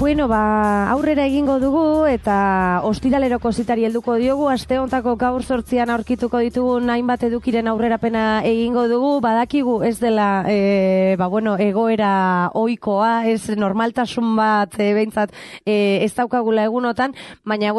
Bueno, aurrera egingo dugu eta ostiraleroko zitari helduko diogu. Aste hontako gaur 8an aurkituko ditugun hainbat edukiren aurrerapena egingo dugu. Badakigu ez dela egoera ohikoa, ez normaltasun bat behintzat ez daukagula egunotan, baina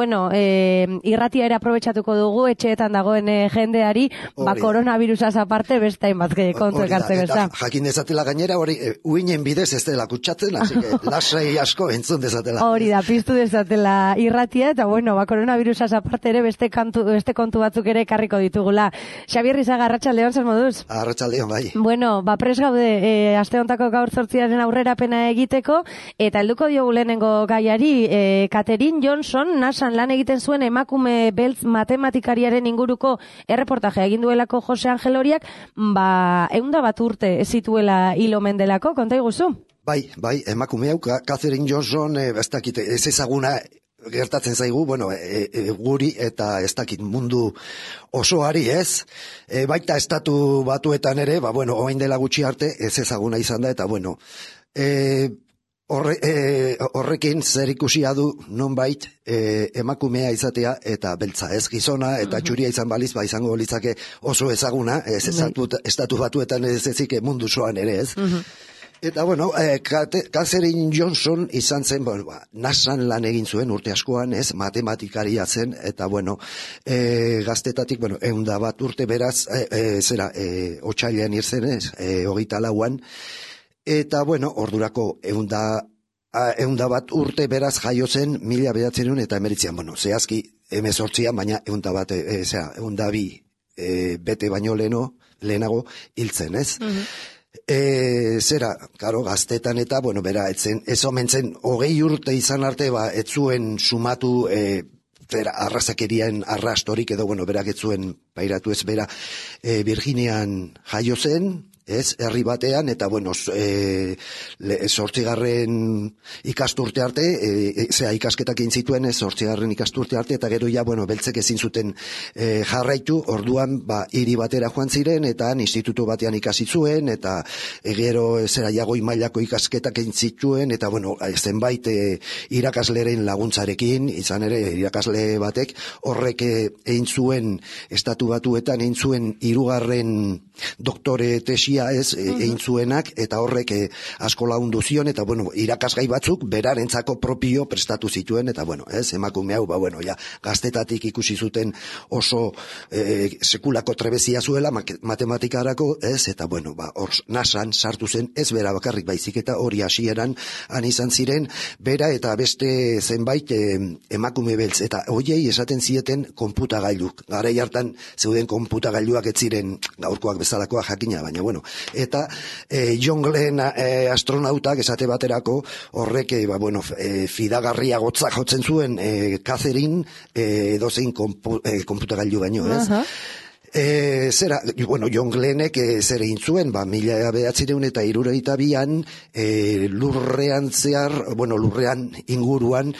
irratia ere aprobetxatuko dugu etxeetan dagoen jendeari, koronavirusaz aparte beste hainbat kontu ekartzen beza. Jakin dezatela gainera hori uinen bidez ez dela kutsatzen, así que lasai asko entzun dezatela. Hori da, piztu dezatela irratia, eta koronavirusaz aparte ere beste kontu batzuk ere ekarriko ditugula. Xabier Rizaga, arratsaldeon, zer moduz? Arratsaldeon, bai. Pres gaude, aste hontako gaur 8aren aurrerapena egiteko, eta helduko diogu lehenengo gaiari, Katherine Johnson, NASAn lan egiten zuen emakume beltz matematikariaren inguruko erreportajea egin duelako Jose Angel Horiak, 101 urte zituela hil omen delako, konta iguzu? Bai, emakume hau, Katherine Johnson, ez dakit, ez ezaguna gertatzen zaigu, guri eta ez dakit mundu osoari ez, baita estatu batuetan ere, oain dela gutxi arte, ez ezaguna izan da, eta horrekin zer ikusia du nonbait emakumea izatea eta beltza, ez gizona eta txuria izan baliz, izango litzake oso ezaguna, ez estatu batuetan ez ezik mundu osoan ere ez. Eta Katherine Johnson izan zen, NASAn lan egin zuen urte askoan, ez, matematikaria zen, eta gaztetatik, 101 urte beraz, otsailean irzen, 24an, eta ordurako 101 urte beraz jaio zen 1919an, zehazki 18an, baina 102 bete baino lehenago hiltzen, ez? Gaztetan eta, ez omen zen, 20 urte izan arte, ez zuen sumatu, arrazakerian arrastorik edo, berak ez zuen pairatu ez bera, Virginian jaio zen, ez, herri batean, eta, 8. ikasturte arte, ikasketak egin zituen, 8. ikasturte arte, eta gero beltzek ezin zuten jarraitu, orduan, hiri batera joan ziren, eta institutu batean ikasi zuen, eta gero, goi mailako ikasketak egin zituen, eta, zenbait irakasleren laguntzarekin, izan ere, irakasle batek, horrek egin zuen, estatu batuetan, egin zuen 3. doktore tesia, egin zuenak, eta horrek asko lagundu zion, eta irakasgai batzuk berarentzako propio prestatu zituen, eta emakume hau, gaztetatik ikusi zuten oso sekulako trebezia zuela matematikarako, eta hor NASAn sartu zen, ez bera bakarrik baizik, eta hori hasieran han izan ziren, bera eta beste zenbait emakume beltz, eta hoiei esaten zieten konputagailuk, garai hartan zeuden konputagailuak ez ziren gaurkoak bezalakoak jakina, baina eta John Glenn astronautak esate baterako horrek fidagarria gotzak jotzen zuen Catherine edozein konputagailu baino, ez? John Glennek zer egin zuen, 1972an lurrean inguruan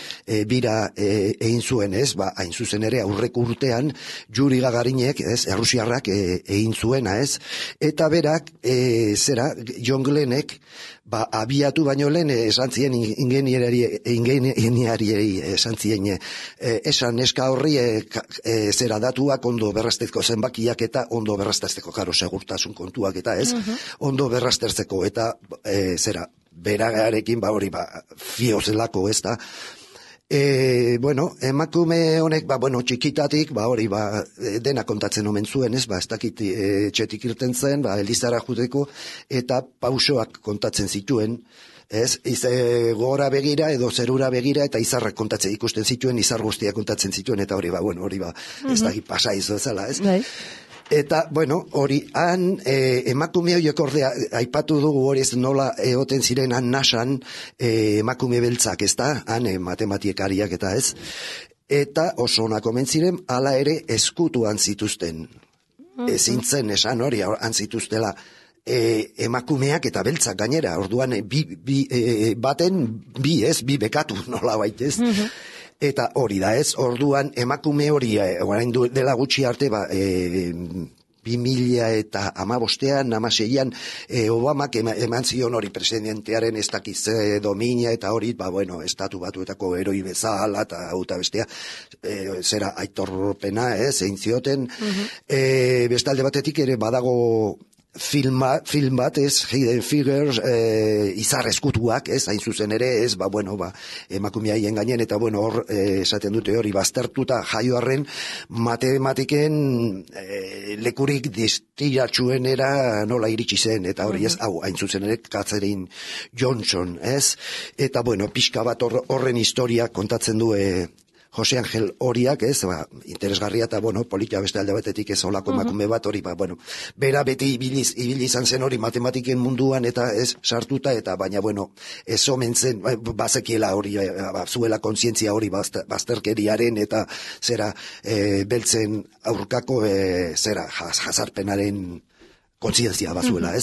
bira egin zuen, ez? Hain zuzen ere aurreko urtean Yuri Gagarinek, ez, errusiarrak egin zuena, ez? Eta berak, John Glennek abiatu baino lehen esan zien ingeniariei esan zien esan neska horri datuak ondo berraztezko zenbakiak eta ondo berraztezko, segurtasun kontuak eta ez, ondo berraztezko eta beragarekin fio zelako ez da. Emakume honek, txikitatik, dena kontatzen omen zuen, ez dakit txetik irten zen, elizara juteko, eta pausoak kontatzen zituen, ez, gora begira edo zerura begira, eta izarrak kontatzen ikusten zituen, izar guztiak kontatzen zituen, eta hori ez dakit pasa izo ezala, ez? Eta, hori, han emakume horiek ordea, aipatu dugu hori ez nola egoten ziren han NASAn emakume beltzak, ez da, han matematikariak eta ez, eta oso onak omen ziren, hala ere eskutuan zituzten. Ezin zen esan hori, han zituztela emakumeak eta beltzak gainera, orduan bi bekatu nola baitez. Eta hori da ez, orduan emakume hori, orain dela gutxi arte, 2015an, 16an, Obamak eman zion hori presidentearen ez dakiz domina eta hori, bueno, estatu batuetako eroi bezala eta auta bestea, zera aitorpena, zein zioten. Bestalde batetik ere badago film bat, Hidden Figures, izar eskutuak, hain zuzen ere, emakumea hien gainen, eta hor, esaten dute hori, baztertuta jaioarren matematiken lekurik distiratsuenera nola iritsi zen, eta hori hau, hain zuzen ere, Katherine Johnson, eta pixka bat horren historia kontatzen du Jose Angel horiak, interesgarria eta, politia beste alde batetik ez olako emakume bat hori, bera beti ibili izan zen hori matematiken munduan eta sartuta eta, baina, ez omen zen, bazekiela hori, zuela kontzientzia hori bazterkeriaren eta zera beltzen aurkako jazarpenaren kontzientzia bazuela,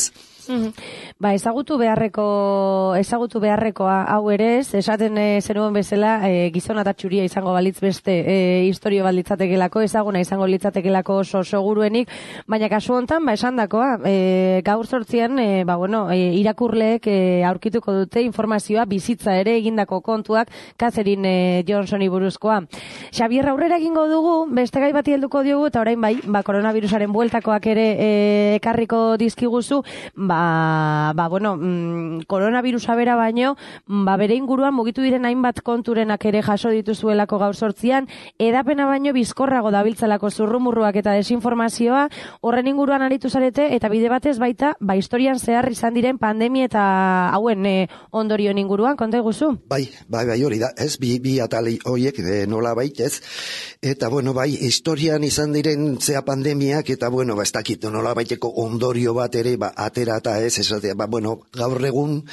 Ezagutu beharrekoa hau ere ez, esaten zenuen bezala gizona eta txuria izango balitz beste historio bat litzatekelako, ezaguna izango litzatekelako oso seguruenik, baina kasu hontan, esandakoa, gaur 8an, irakurleek aurkituko dute informazioa bizitza ere egindako kontuak Katherine Johnsoni buruzkoa. Xabier, aurrera egingo dugu, beste gai bati helduko diogu, eta orain koronavirusaren bueltakoak ere ekarriko dizkiguzu, koronavirusa bera baino, bere inguruan mugitu diren hainbat konturenak ere jaso dituzuelako gaur 8an, edapena baino bizkorrago dabiltzalako zurrumurruak eta desinformazioa, horren inguruan aritu zarete, eta bide batez baita, historian zehar izan diren pandemia eta hauen ondorioen inguruan, konta eguzu? Bai, hori da, bi atali horiek nola baitez, eta historian izan diren zea pandemiak, eta ez dakit nola baiteko ondorio bat ere, atera eta esatea, gaur egun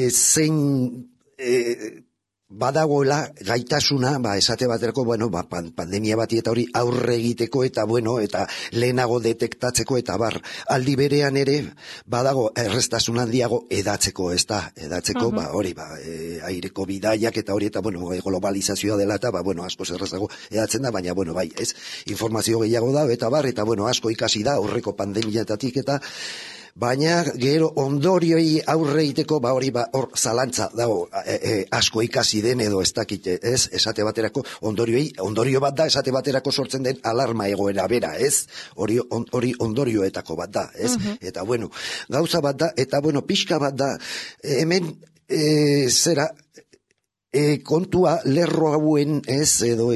zein badagoela gaitasuna, esate baterako, pandemia bati eta hori aurre egiteko eta eta lehenago detektatzeko eta aldi berean ere badago errestasun handiago edatzeko, hori, aireko bidaiak eta hori eta, globalizazioa dela eta, asko zerrazago edatzen da, baina, informazio gehiago da, eta asko ikasi da aurreko pandemiatatik eta baina gero ondorioi aurre egiteko hor zalantza dago asko ikasi den edo ez dakit, esate baterako ondorio bat da, esate baterako sortzen den alarma egoera bera, hori ondorioetako bat da, eta gauza bat da, eta pixka bat da, hemen kontua lerro hauen edo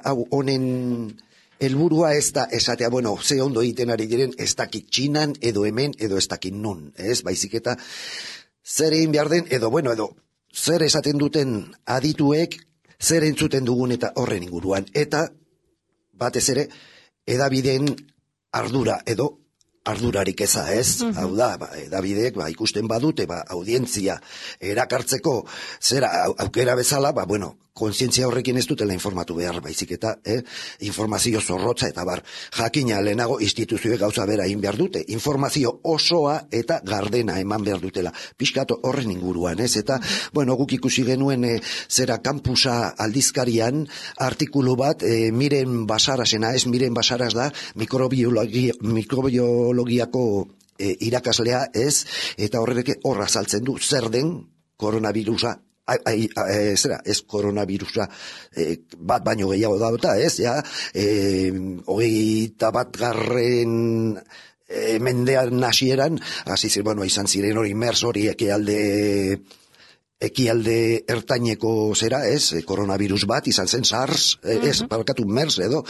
hau honen helburua ez da esatea, ze ondo egiten ari diren ez dakit Txinan edo hemen edo ez dakit nun, baizik eta zer egin behar den edo zer esaten duten adituek, zer entzuten dugun eta horren inguruan, eta batez ere edabideen ardura edo ardurarik eza, hau da, edabideek ikusten badute, audientzia erakartzeko zera aukera bezala, kontzientzia horrekin ez dutela informatu behar, baizik eta informazio zorrotza eta jakina lehenago instituzioek gauza bera egin behar dute, informazio osoa eta gardena eman behar dutela, pixkato horren inguruan, eta guk ikusi genuen zera kampusa aldizkarian artikulu bat, Miren Basarasena, Miren Basaras da mikrobiologiako irakaslea, eta horrek horra azaltzen du zer den koronavirusa, koronavirusa bat baino gehiago da, 21. Mendean hasieran, hasi ziren, izan ziren hori MERS hori ekialde ertaineko koronavirus bat izan zen SARS, MERS edo,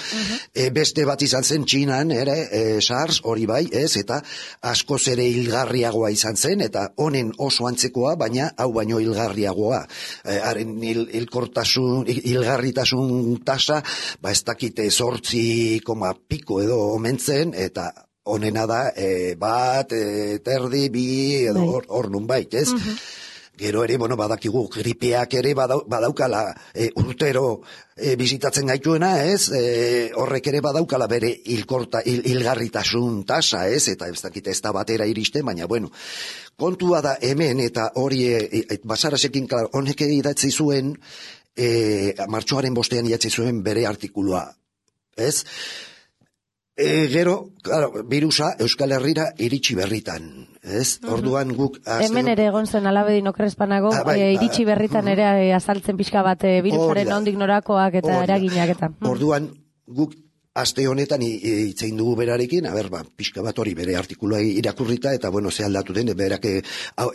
beste bat izan zen Txinan, SARS hori bai, eta askoz ere hilgarriagoa izan zen, eta honen oso antzekoa, baina hau baino hilgarriagoa. Haren hilgarritasun tasa, ez dakite 8,piko edo omentzen, eta honena da, bat, terdi, bi, edo hor nun bait, Gero ere, badakigu, gripeak ere badaukala urtero bizitatzen gaituena, horrek ere badaukala bere hilgarritasun tasa, eta ez dakite ez da batera iristen, baina, kontua da hemen, eta hori Basarasekin, honek idatzi zuen, martxoaren 5 idatzi zuen bere artikulua, Gero, claro, virusa Euskal Herrira iritsi berritan, ez? Orduan guk... Hemen ere egon zen Alabedin okrespanago, iritsi berritan ere azaltzen pixka bat virusaren nondik norakoak eta eraginak eta... Orduan guk aste honetan itzein dugu berarekin, pixka bat hori bere artikulua irakurrita, eta bueno, ze aldatu den, berak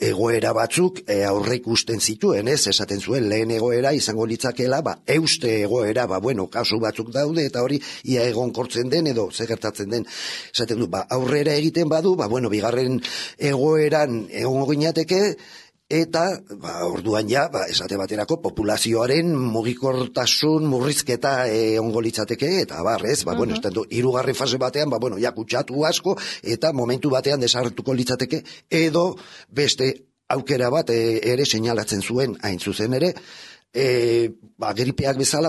egoera batzuk aurre ikusten zituen, ez? Esaten zuen, lehen egoera izango litzakela, euste egoera, kasu batzuk daude, eta hori ia egonkortzen den, edo ze gertatzen den, esaten du, aurrera egiten badu, bigarren egoeran egongo ginateke, eta, orduan ja, esate baterako, populazioaren mugikortasun, murrizketa ongo litzateke, eta ez, bueno, hirugarren fase batean, ja, kutsatu asko, eta momentu batean desartuko litzateke, edo beste aukera bat ere seinalatzen zuen, hain zuzen ere, gripeak bezala,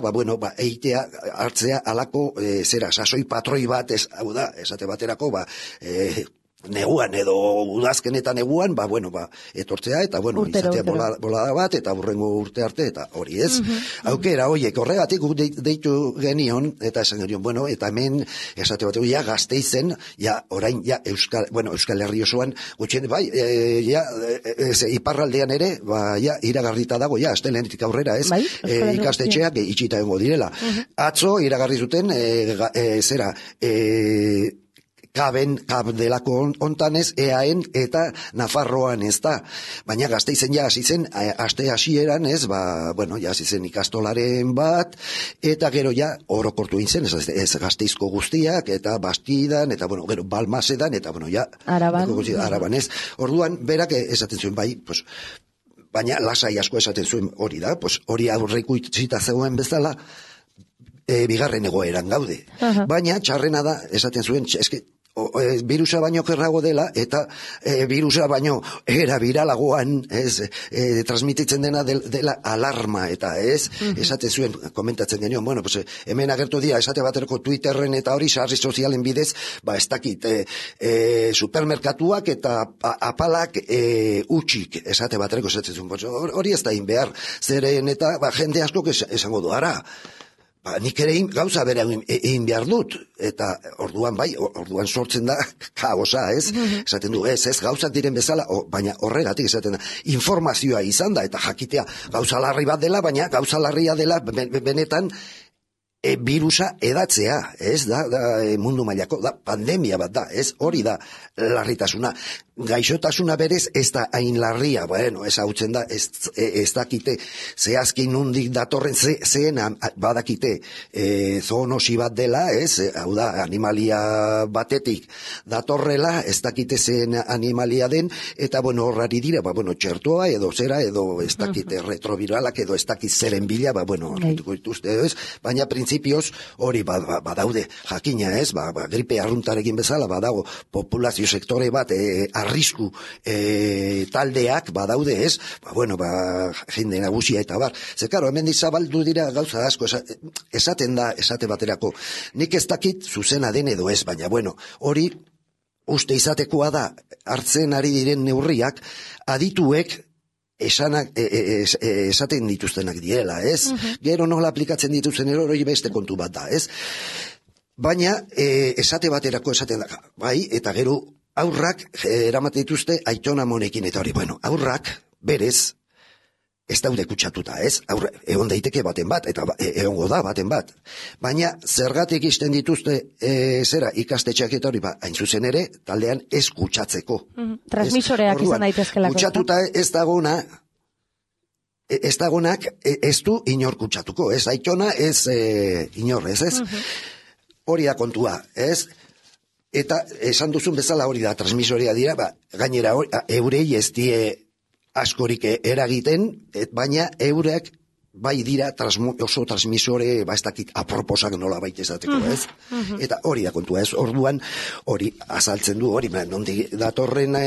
eitea hartzea alako, sasoi patroi bat, hau da, esate baterako, neguan edo udazkenetan neguan, etortzea, eta izatea bolada bat, eta burrengo urte arte, eta hori ez. Aukera, hoiek, horregatik deitu genion, eta esan genion, eta hemen, esate bat, Gasteizen, orain, Euskal Herri osoan, gutxien, iparraldean ere, iragarrita dago, astelenetik aurrera, ez, ikastetxeak itxita egongo direla. Atzo, iragarri zuten, kab delako ontanez, EAen eta Nafarroan ez da. Baina Gasteizen hasi zen, aste hasieran ez, hasi zen ikastolaren bat, eta gero orokortu zen, ez Gasteizko guztiak, eta Bastidan, eta gero Balmasedan, eta Araban ez. Orduan, berak esaten zuen baina lasai asko esaten zuen hori da, hori aurreiko itzita zegoen bezala, bigarren egoeran gaude. Baina, txarrena da, esaten zuen, virusa baino kerrago dela, eta virusa baino era viralagoan, transmititzen dena dela alarma, eta esaten zuen, komentatzen genion, hemen agertu dira, esate baterako Twitterren eta hori, sarri sozialen bidez, ez dakit, supermerkatuak eta apalak utxik, esate baterako esaten zuen, hori ez da inbehar, zeren eta jende askok esango du, ara, nik ere gauza bere egin behar dut, eta orduan sortzen da kaosa, ez? Esaten du, ez gauzak diren bezala, baina horregatik esaten da, informazioa izan da, eta jakitea gauza larri bat dela, baina gauza larria dela benetan virusa edatzea, ez da, mundu mailako, da, pandemia bat da, ez, hori da larritasuna. Gaixotasuna berez ez da hain larria, ez hautzen da, ez dakite, zehazki nundik datorren, zehen badakite zoonosi bat dela, ez, hau da, animalia batetik datorrela, ez dakite zehen animalia den, eta, horrari dira, txertoa, edo zera, edo ez dakite retroviralak, edo ez dakit zeren bila, baina printzipioz hori badaude, jakina, ez, gripe arruntarekin bezala, badago populazio sektore bat, arrisku taldeak badaude, ez, jende nagusia eta bar. Zekaro, hemen dizabaldu dira gauza asko, esaten da, esate baterako, nik ez dakit zuzena den edo ez, baina, hori uste izatekoa da, hartzen ari diren neurriak, adituek esaten dituztenak direla, ez? Gero nola aplikatzen dituzten hori beste kontu bat da, ez? Baina, esate baterako esaten da, eta gero aurrak eramate dituzte aitona monekin, eta hori, aurrak berez ez daude kutsatuta, ez? Egon daiteke baten bat, eta egongo da baten bat. Baina, zergatik izten dituzte ikastetxeak eta hori, hain zuzen ere, taldean ez kutsatzeko. Transmisoreak izan daitezkelako. Kutsatuta ez dagonak ez du inor kutsatuko, ez? Aitona ez inor, ez? Hori da kontua, ez? Eta esan duzun bezala hori da, transmisorea dira, gainera eurei ez die askorik eragiten, baina eurek bai dira oso transmisore, ez dakit aproposak nola baita esateko, ez? Eta hori da kontua, ez? Orduan hori azaltzen du, hori, nondik datorren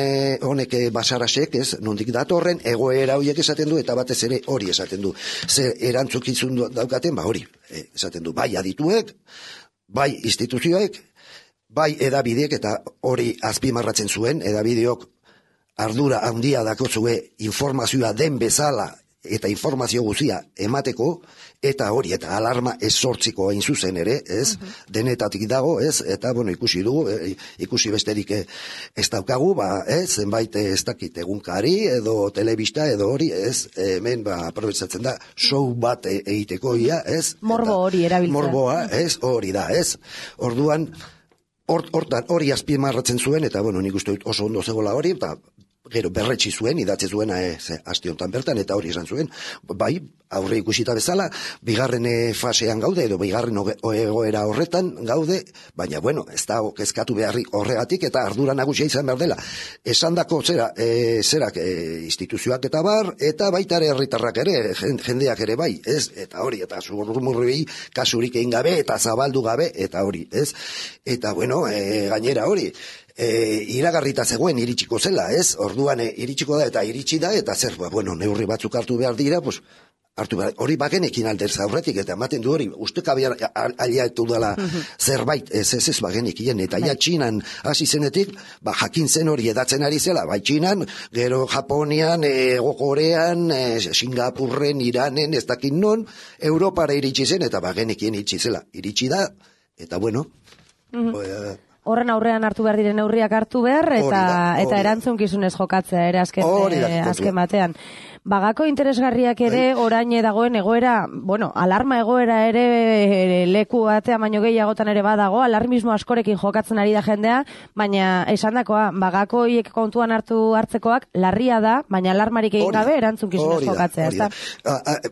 honek basarasek, ez? Nondik datorren egoera horiek esaten du, eta batez ere hori esaten du. Zer erantzukizun daukaten, hori esaten du, bai adituek, bai instituzioek, bai edabideek, eta hori azpimarratzen zuen, edabideok ardura handia dakozue informazioa den bezala eta informazio guzia emateko, eta hori, eta alarma ez sortziko hain zuzen ere, ez, denetatik dago, ez, eta, bueno, ikusi dugu, ikusi besterik ez daukagu, zenbait ez dakit egunkari, edo telebista, edo hori, ez, hemen, aprobetzatzen da, show bat egiteko, ez. Morbo hori erabiltzen. Morboa, ez, hori da, ez. Orduan, hori azpimarratzen zuen, eta, bueno, nik uste dut oso ondo zegoela hori, eta, gero berretsi zuen, idatze zuena aste honetan bertan, eta hori esan zuen, bai, aurre ikusita bezala, bigarren fasean gaude, edo bigarren egoera horretan gaude, baina, bueno, ez da kezkatu beharrik horregatik, eta ardura nagusia izan behar dela. Esandako zerak instituzioak eta bar, eta baita ere herritarrak ere, jendeak ere bai, ez? Eta hori, eta zurrumurri kasurik egin gabe, eta zabaldu gabe, eta hori, ez? Eta, bueno, gainera hori, iragarrita zegoen iritsiko zela, ez? Orduan iritsiko da eta iritsi da, eta zer, bueno, neurri batzuk hartu behar dira, pues, hori bagenekin aldez aurretik, eta ematen du hori, uste kabiar aliatu dela zerbait, ez bagenekien, eta ja Txinan hasi zenetik, jakin zen hori edatzen ari zela, bai Txinan, gero Japonian, Hego Korean, Singapurren, Iranen, ez dakin non, Europara iritsi zen, eta bagenekien iritsi zela, iritsi da, eta bueno, horren aurrean hartu behar diren neurriak hartu behar, eta erantzunkizunez jokatzea ere azken batean. Bagako interesgarriak ere orain dagoen egoera, bueno, alarma egoera ere leku batean baino gehiagotan ere badago, alarmismo askorekin jokatzen ari da jendea, baina esandakoa, bagakoiek kontuan hartzekoak larria da, baina alarmarik egin gabe erantzunkizunez jokatzea.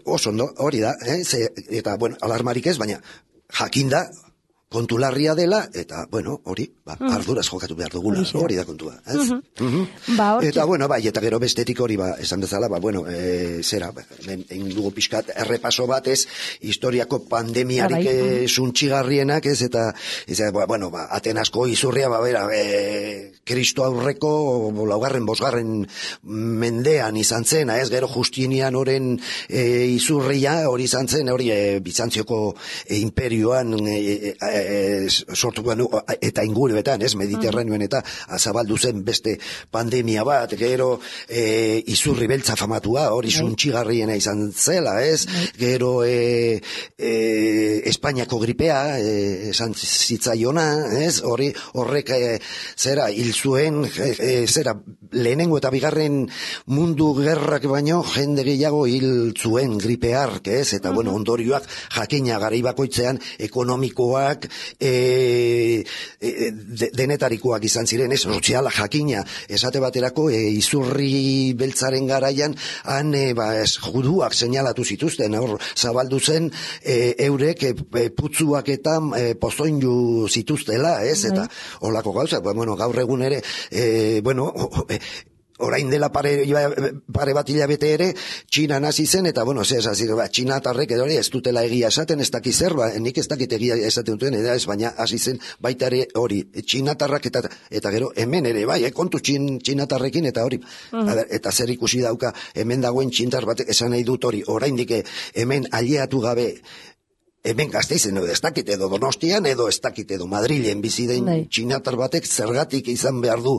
Oso ondo, hori da, eta, bueno, alarmarik ez, baina jakinda, kontu larria dela, eta, bueno, hori, arduraz jokatu behar dugula, hori da kontua, ez? Eta, bueno, bai, eta gero bestetik hori, esan bezala, bueno, egin dugu pixkat errepaso bat, ez, historiako pandemiarik suntxigarrienak, ez, eta, bueno, Atenasko izurria, Kristo aurreko, laugarren, bosgarren mendean izan zen, ez, gero Justinian oren izurria, hori izan zen, hori Bizantzioko imperioan sortu eta inguruetan, ez, Mediterraneoen eta zabaldu zen beste pandemia bat, gero izurri beltza famatua, hori suntxigarriena izan zela, ez, gero Espainiako gripea esan zitzaiona, ez, horrek hil zuen, lehenengo eta bigarren mundu gerrak baino jende gehiago hil zuen gripeark, ez, eta bueno, ondorioak jakina garai bakoitzean ekonomikoak, denetarikoak izan ziren, ez, soziala jakina, esate baterako izurri beltzaren garaian han juduak seinalatu zituzten, hor zabaldu zen eurek putzuak eta pozoindu zituztela, ez, eta holako gauza, bueno, gaur egun ere, bueno, orain dela pare bat hilabete ere, Txinan hasi zen, eta, bueno, txinatarrek edo ez dutela egia esaten, ez dakiz zer, nik ez dakit egia esaten duten, ez, baina hasi zen baita ere hori, txinatarrak eta gero hemen ere, bai, kontu txinatarrekin, eta hori, eta zer ikusi dauka, hemen dagoen txintar batek esan nahi dut hori, oraindik hemen aliatu gabe, hemen Gasteizen edo ez dakit edo Donostian edo ez dakit edo Madrilen bizi den txinatar batek zergatik izan behar du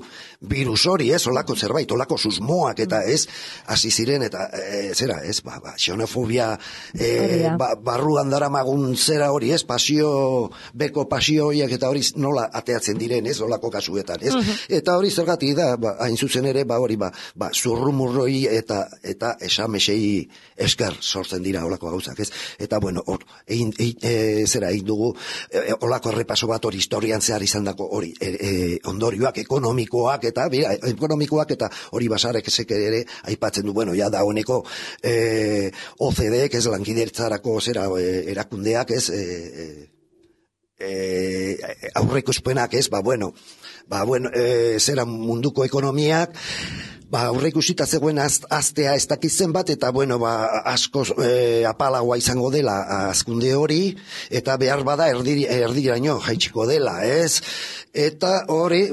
virus hori, ez, olako zerbait, olako susmoak eta ez, hasi ziren eta xenofobia barruan daramagun zera hori, ez, beko pasio horiek eta hori nola ateatzen diren, ez, olako kasuetan, ez, eta hori zergatik da, hain zuzen ere, hori, zurrumurroi eta esamesei esker sortzen dira olako gauzak, ez, eta bueno, egin dugu olako errepaso bat hori historian zehar izan dako hori ondorioak ekonomikoak eta hori Basarek ezek ere aipatzen du, bueno, ja da honeko OCDek, ez, lankidetzarako erakundeak, ez, aurreko espenak, ez, zera munduko ekonomiak, aurreikusita zegoen aztea ez dakitzen bat, eta bueno, asko apalagoa izango dela azkunde hori, eta behar bada erdiraino jaitsiko dela, ez? Eta hori,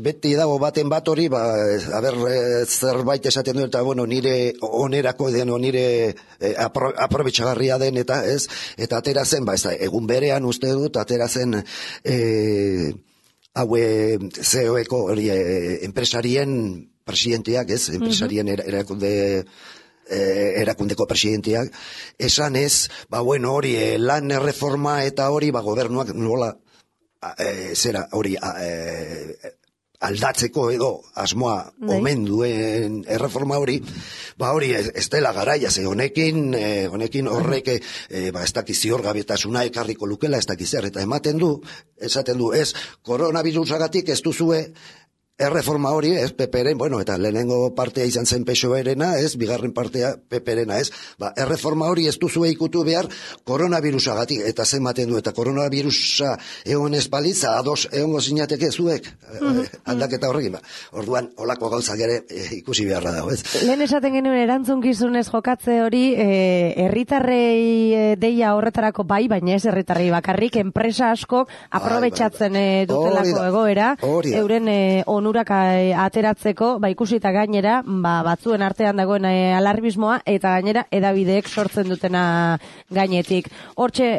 beti dago baten bat hori, zerbait esaten du, eta bueno, nire onerako den, nire aprobetxagarria den, eta ez? Eta atera zen, egun berean uste dut, atera zen CEO-eko enpresarien presidenteak, ez, enpresarien erakunde erakundeko presidenteak, esan ez, bueno, hori lan erreforma eta hori, gobernuak nola, hori, aldatzeko edo asmoa omen duen erreforma hori, hori ez dela garaia, ze honekin horrek ez dakiz ziorgabetasuna ekarriko lukela, ez dakiz zer, eta esaten du, ez, koronavirusagatik ez duzue erreforma hori, ez, PPren, eta lehenengo partea izan zen PSOE-rena, ez, bigarren partea PP-rena, ez, erreforma hori ez duzue ikutu behar koronavirusagatik, eta zenbaten du, eta koronavirusa egon ez balitza, ados egongo zinateke zuek, aldaketa horrekin, orduan, olako gauzak ere ikusi beharra dago, ez. Lehen esaten genuen erantzunkizunez jokatze hori, herritarrei deia horretarako baina ez herritarrei bakarrik, enpresa askok aprobetxatzen dutelako egoera, euren onurak ateratzeko, ikusita gainera, batzuen artean dagoen alarmismoa, eta gainera edabideek sortzen dutena gainetik. Hortxe,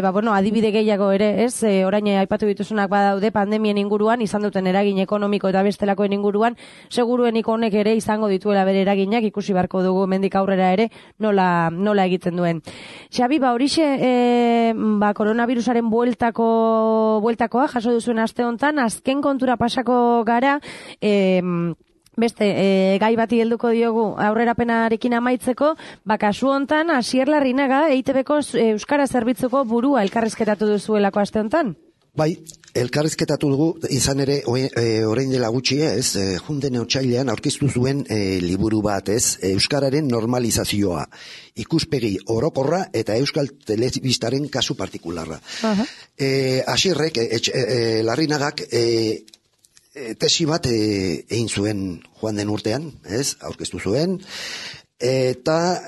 adibide gehiago ere, ez, orain aipatu dituzunak badaude pandemien inguruan, izan duten eragin ekonomiko eta bestelakoen inguruan, seguruenik honek ere izango dituela bere eraginak, ikusi beharko dugu mendik aurrera ere, nola egiten duen. Xabi, horixe, koronavirusaren bueltakoa, jaso duzuen aste hontan, azken kontura pasako gara, beste, gai bati helduko diogu aurrerapenarekin amaitzeko, kasu hontan, Asier Larrinaga, EITB-ko Euskara Zerbitzuko burua elkarrizketatu duzuelako aste hontan? Bai, elkarrizketatu dugu, izan ere, orain dela gutxi, ez, junden otsailean aurkeztu zuen liburu bat, ez, Euskararen normalizazioa, ikuspegi orokorra eta Euskal Telebistaren kasu partikularra. Asierrek, Larrinagak, tesi bat egin zuen joan den urtean, ez, aurkeztu zuen, eta,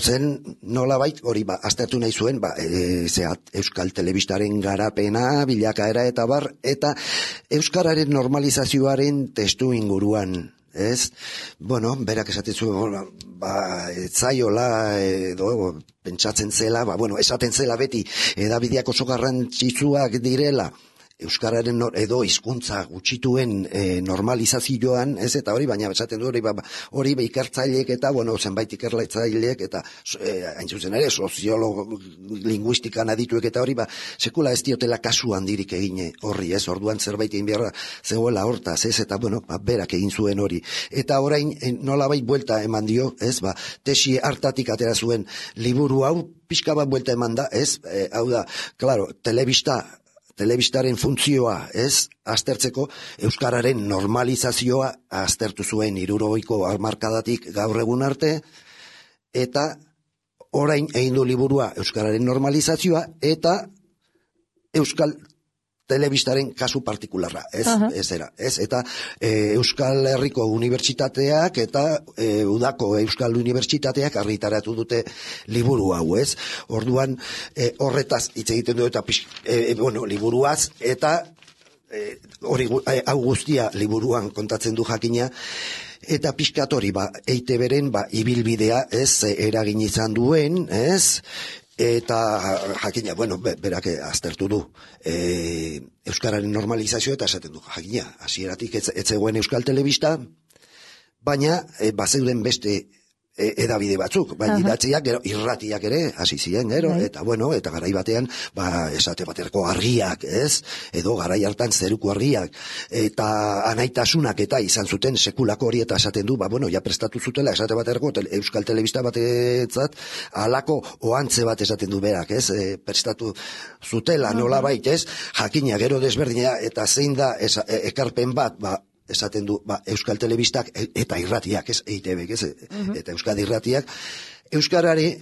zen nolabait, hori aztertu nahi zuen, Euskal Telebistaren garapena, bilakaera eta eta Euskararen normalizazioaren testu inguruan, ez? Berak esaten zuen, etzaiola, edo, pentsatzen zela, esaten zela beti, edabideak oso garrantzitsuak direla, Euskararen edo hizkuntza gutxituen normalizazioan, ez, eta hori, baina esaten du hori ikertzaileek eta, zenbait ikertzaileek eta hain zuzen ere, soziolo-linguistikan adituek eta hori, sekula ez diotela kasu handirik egin horri, ez, orduan zerbait egin beharra zegoela hortaz, ez, eta, berak egin zuen hori. Eta orain, nolabait buelta eman dio, ez, tesi hartatik atera zuen liburu hau, pixka bat buelta eman da, ez, hau da, klaro, telebistaren funtzioa, ez, aztertzeko, Euskararen normalizazioa aztertu zuen 60ko hamarkadatik gaur egun arte, eta orain egin du liburua Euskararen normalizazioa, eta Euskal Telebistaren kasu partikularra, ez, eta Euskal Herriko Unibertsitateak eta Udako Euskal Unibertsitateak argitaratu dute liburu hau, ez, orduan horretaz hitz egiten du eta liburuaz, eta hau guztia liburuan kontatzen du jakina, eta pixkat hori, EITB-ren ibilbidea, ez, eragin izan duen, ez, eta jakina, berak aztertu du Euskararen normalizazioa eta esaten du, jakina, hasieratik ez zegoen Euskal Telebista, baina bazeuden beste edabide batzuk, idatziak, irratiak ere, hasi ziren, eta eta garai batean, esate baterako argiak, ez, edo garai hartan zeruko argiak, eta anaitasunak eta izan zuten sekulako hori eta esaten du, ja prestatu zutela, esate baterako Euskal Telebista batetzat, alako oantze bat esaten du berak, ez, prestatu zutela, nolabait, ez, jakina, gero desberdina, eta zein da ekarpen bat, esaten du, Euskal Telebistak eta irratiak, ez, EITB, ez, eta Euskal irratiak, Euskarari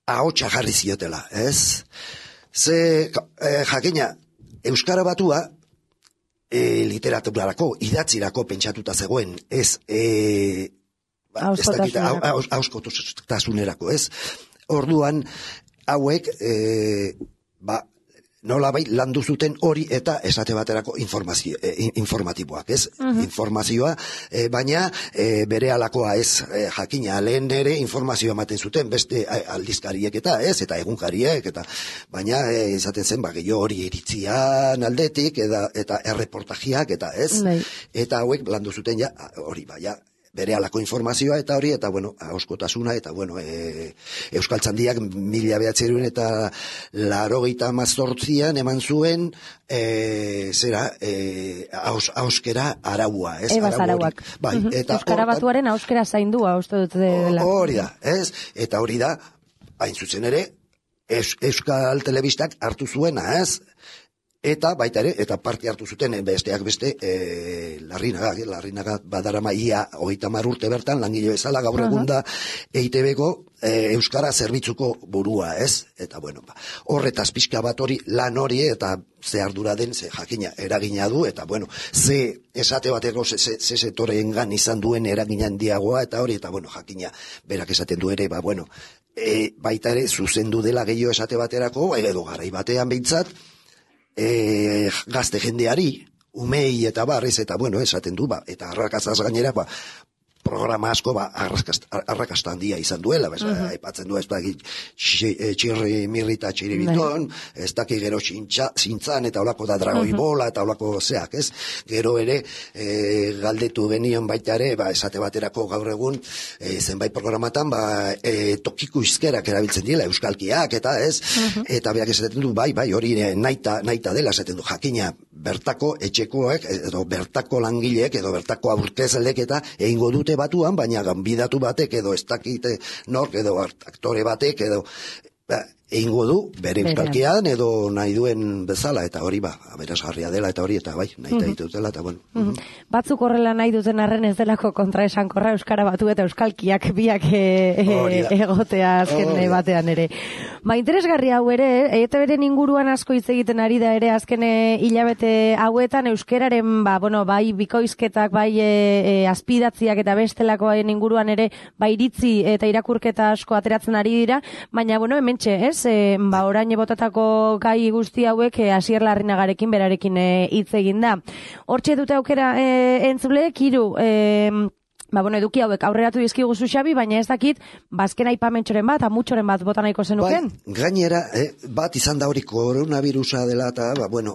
ahotsa jarri ziotela, ez? Ze, jakina, Euskara batua, literaturarako, idatzirako pentsatuta zegoen, ez, hauskotasunerako, ez? Orduan, hauek, nolabait landu zuten hori eta esate baterako informatiboak, ez? Informazioa, baina bere alakoa ez, jakina, lehen ere informazioa ematen zuten, beste aldizkariek eta ez, eta egunkariek, eta baina izaten zen, gehiago hori iritzian aldetik, eta erreportajiak, eta ez, eta hauek landu zuten ja, hori, berehalako informazioa eta hori, eta bueno, ahoskotasuna, eta bueno, Euskaltzaindiak 1988an eman zuen ahoskera araua, ez? Arauak. Bai, eta Euskara Batuaren ahoskera zaindua, uste dut dela. Hori da, ez? Eta hori da, hain zuzen ere, Euskal Telebistak hartu zuena, ez? Eta baita ere, eta parte hartu zuten besteak beste, Larrinaga badarama ia 30 urte bertan, langile bezala gaur egun da EITB-ko Euskara zerbitzuko burua, ez? Eta bueno, horretaz pixka bat hori, lan hori, eta ze ardura den, ze jakina eragina du, eta bueno, ze esate bateko ze setoreengan izan duen eragina handiagoa, eta hori, eta bueno, jakina berak esaten du ere, bueno, baita ere zuzendu dela gehiago esate baterako, edo garai batean behintzat, gazte jendeari, umei eta barriz, eta bueno, esaten du, eta arrakastaz gainera, programa asko arrakasta handia izan duela, aipatzen du ez da txirri mirrita txiribiton, ez daki gero zintzan eta olako da dragoi bola eta olako zeak, ez? Gero ere galdetu benion baita ere, esate baterako gaur egun zenbait programatan tokiko izkerak erabiltzen dira, euskalkiak eta ez, eta berak esaten du, bai, hori naita dela, esaten du, jakina bertako etxekoek, edo bertako langileek, edo bertako aurkezleek eta egingo dute batuan, baina ganbidatu batek edo ez dakite nork edo aktore batek edo egingo du bere euskalkian edo nahi duen bezala, eta hori aberasgarria dela, eta hori eta bai, nahi ditutela, eta bueno. Batzuk horrela nahi duten arren ez delako kontraesankorra Euskara Batu eta euskalkiak biak egotea azken batean ere. Interesgarri hau ere, EITB-ren inguruan asko hitz egiten ari da ere azken hilabete hauetan euskeraren, bai bikoizketak, bai azpidatziak eta bestelakoen inguruan ere, bai iritzi eta irakurketa asko ateratzen ari dira, baina, hementxe, ez? Orain botatako gai guzti hauek Asier Larrinagarekin berarekin hitz egin da. Hortxe dute aukera entzuleek 3 eduki hauek aurreratu dizkiguzu Xabi, baina ez dakit, bazken aipamentxoren bat, amutxoren bat bota nahiko zenuken? Gainera, bat izan da hori koronavirusa dela,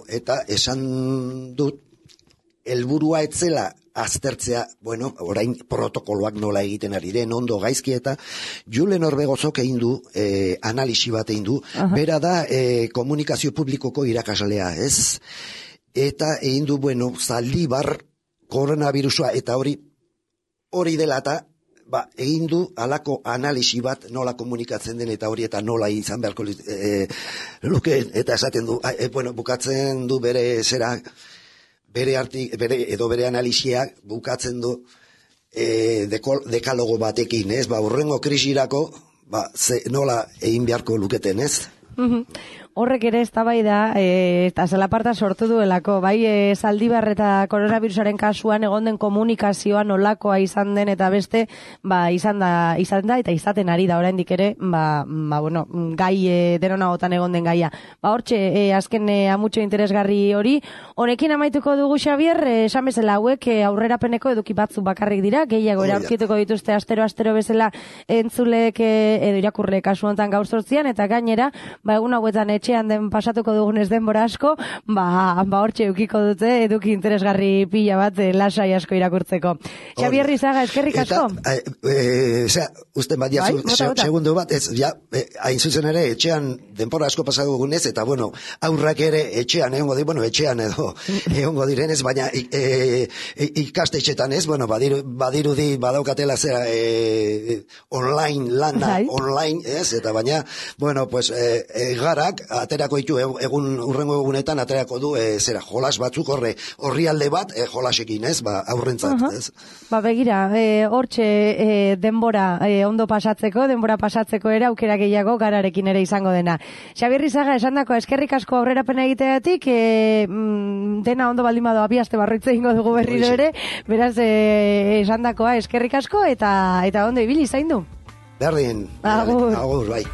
eta esan dut, helburua etzela aztertzea, orain protokoloak nola egiten ari den, ondo gaizki, eta Julen Orbegozok egin du, analisi bat egin du, bera da komunikazio publikoko irakaslea, ez? Eta egin du, Zaldibar koronavirusua, eta hori dela eta egin du alako analisi bat nola komunikatzen den eta hori eta nola izan beharko luke, eta esaten du, bukatzen du bere zera, bere analisiak bukatzen du dekalogo batekin, ez? Urrengo krisirako nola egin beharko luketen, ez? Horrek ere eztabaida eta zelaparta sortu duelako, bai Zaldibar eta koronavirusaren kasuan egon den komunikazioa nolakoa izan den eta beste, izan da eta izaten ari da oraindik ere, gai deronagotan egon den gaia. Hortxe, azken amutxo interesgarri hori, honekin amaituko dugu Xabier, esan bezala hauek aurrerapeneko eduki batzu bakarrik dira, gehiago aurkituko dituzte astero bezala entzuleek edo irakurle kasu honetan gaur 8an, eta gainera, egun hauetan etxean pasatuko dugunez denbora asko, hortxe eukiko dute eduki interesgarri pila bat lasai asko irakurtzeko. Xabier Rizaga, eskerrik asko. Usten bat, segundu bat, hain zuzen ere, etxean denbora asko pasatu dugunez, eta aurrak ere etxean egongo di, etxean edo egongo direnez, baina ikastetxetan ez, badirudi badaukatela zera online lana, online, ez, eta baina, garak, aterako ditu, urrengo egunetan aterako du, jolas batzuk horrialde bat, jolasekin, ez, aurrentzat, ez. Begira, hortxe denbora ondo pasatzeko, ere aukera gehiago gararekin ere izango dena. Xabier Rizaga, esandako eskerrik asko aurrerapena egiteatik, dena ondo baldin badoa bi aste barroitze egingo dugu berriro ere, beraz, esandakoa eskerrik asko eta ondo ibili zaindu. Berdin, agur, bai.